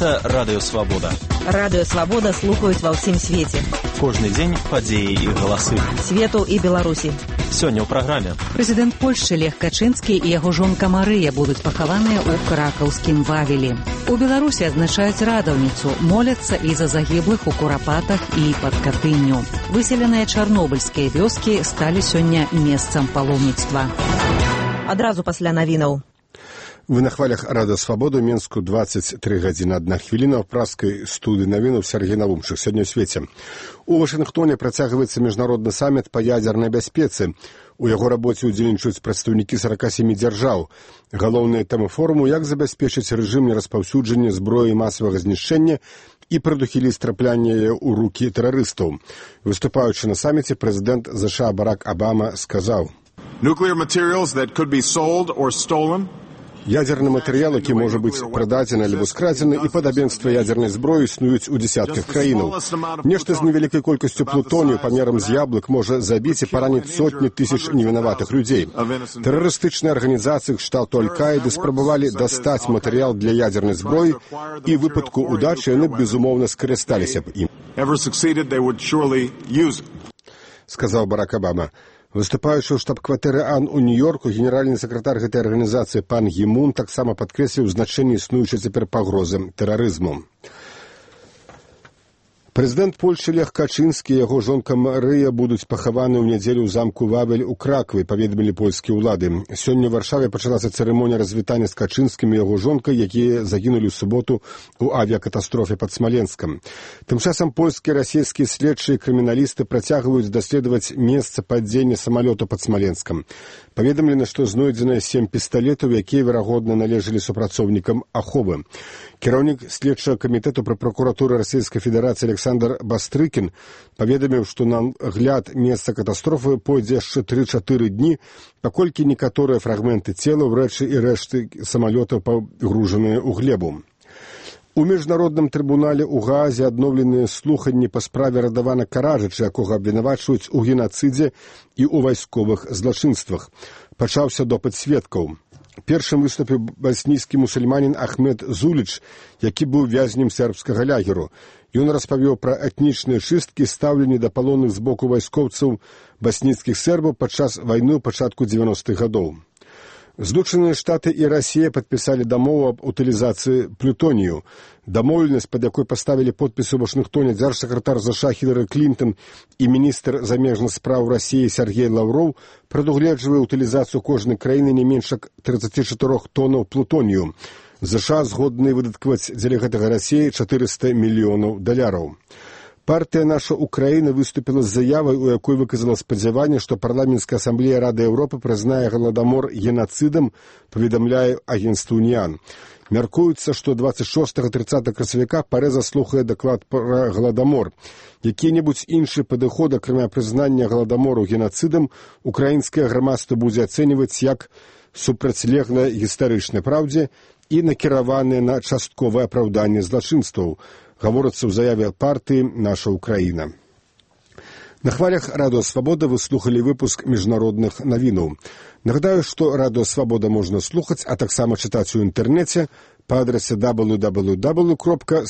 Гэта Радыё Свабода. Радыё Свабода слухаюць ва ўсім свеце. Кожны дзень падзеі і галасы. Свету і Беларусі. Сёння ў праграме. Прэзідэнт Польшчы Лех Качынскі і яго жонка Марыя будуць пахаваныя ў кракаўскім Вавелі. У Беларусі адзначаюць радаўніцу, моляцца і за загіблых у Курапатах і пад Катынню. Выселеныя чарнобыльскія вёскі сталі сёння месцам паломніцтва. Адразу пасля навінаў. Вы на хвалях Радыё Свабода, Менску 23 гадзіны 1 хвіліна, ў праскай студыі навінаў Сергей Навумчык. Сёння ў свеце. У Вашынгтоне працягваецца міжнародны саміт па ядзернай бяспецы. У яго рабоце ўдзельнічаюць прадстаўнікі 47 дзяржаў. Галоўныя тэмы форуму, як забяспечыць рэжым нераспаўсюджання зброі масавага знішчэння і прадухіліць траплянне ў рукі тэрарыстаў. Выступаючы на саміце, прэзідэнт США Барак Абама сказаў: Nuclear materials that could be sold or stolen. Ядзерны матэрыял, які можа быць прададзены альбо скрадзены, і падабенства ядзернай зброі існуюць у дзесятках краінаў. Нешта з невялікай колькасцю плутонію памерам з яблык можа забіць і параніць сотні тысяч невінаватых людзей. Тэрарыстычныя арганізацыі кшталту Аль-Каіды спрабавалі дастаць матэрыял для ядзернай зброі, і ў выпадку удачы яны, безумоўна, скарысталіся б ім, сказаў Барак Абама. Выступаючы ў штаб-кватэры АН у Нью-Йорку, генеральны сакратар гэтай арганізацыі пан Гімун таксама падкрэсліў значэнне існуючай цяпер пагрозы тэрарызму. Прэзідэнт Польшчы Лех Качынскі і яго жонка Марыя будуць пахаваны ў нядзелю ў замку Вавель у Кракаве, паведамілі польскія ўлады. Сёння ў Варшаве пачалася цырымонія развітання з Качынскім і яго жонкай, якія загінулі ў суботу ў авіякатастрофе пад Смаленскам. Тым часам польскія і расійскія следчыя і крыміналісты працягваюць даследаваць месца падзення самалёту пад Смаленскам. Паведамлена, што знойдзеныя 7 пісталетаў, якія, верагодна, належалі супрацоўнікам Аховы. Кіраўнік следчага камітэту пры пракуратуры Расійскай Федэрацыі Александр Бастрыкін паведаміў, што на гляд месца катастрофы пойдзе яшчэ 3-4 дні, паколькі некаторыя фрагменты целаў, рэчы і рэшты самалётаў пагружаныя ў глебу. У міжнародным трыбунале ў Гаазе адноўленыя слуханні па справе Радавана Караджыча, якога абвінавачваюць у генацыдзе і ў вайсковых злачынствах. Пачаўся допыт сведкаў. Першым выступіў баснійскі мусульманін Ахмед Зуліч, які быў вязнем сербскага лагеру. Ён распавёў пра этнічныя чысткі, стаўленні да палонных з боку вайскоўцаў баснійскіх сербаў падчас вайны ў пачатку 90-х гадоў. Злучаныя Штаты і Расія падпісалі дамову аб утылізацыі плютонію. Дамоўленасць, пад якой паставілі подпісы ў Вашынгтоне дзяржсакратар США Хілары Клінтон і міністр замежных спраў Расіі Сергей Лаўроў, прадугледжвае утылізацыю кожнай краіны не менш як 34 тонаў плутонію. США згодны выдаткаваць дзеля гэтага Расіі $400 мільёнаў. Партыя «Наша Украіна» выступіла з заявай, у якой выказала спадзяванне, што парламенцкая асамблея Рады Еўропы прызнае галадамор генацыдам, паведамляе агенцтва «Уніан». Мяркуецца, што 26-30 красавіка Парэ заслухае даклад пра галадамор. Які-небудзь іншы падыход, акрамя прызнання галадамору генацыдам, украінскае грамадства будзе ацэньваць як супрацьлеглае гістарычнай праўдзе і накіраванае на частковае апраўданне злачынстваў, гаворыцца ў заяве партыі «Наша Украіна». На хвалях Радыё Свабода вы слухалі выпуск міжнародных навінаў. Нагадаю, што Радыё Свабода можна слухаць, а таксама чытаць у інтэрнэце па адрасе www.swabodna.org.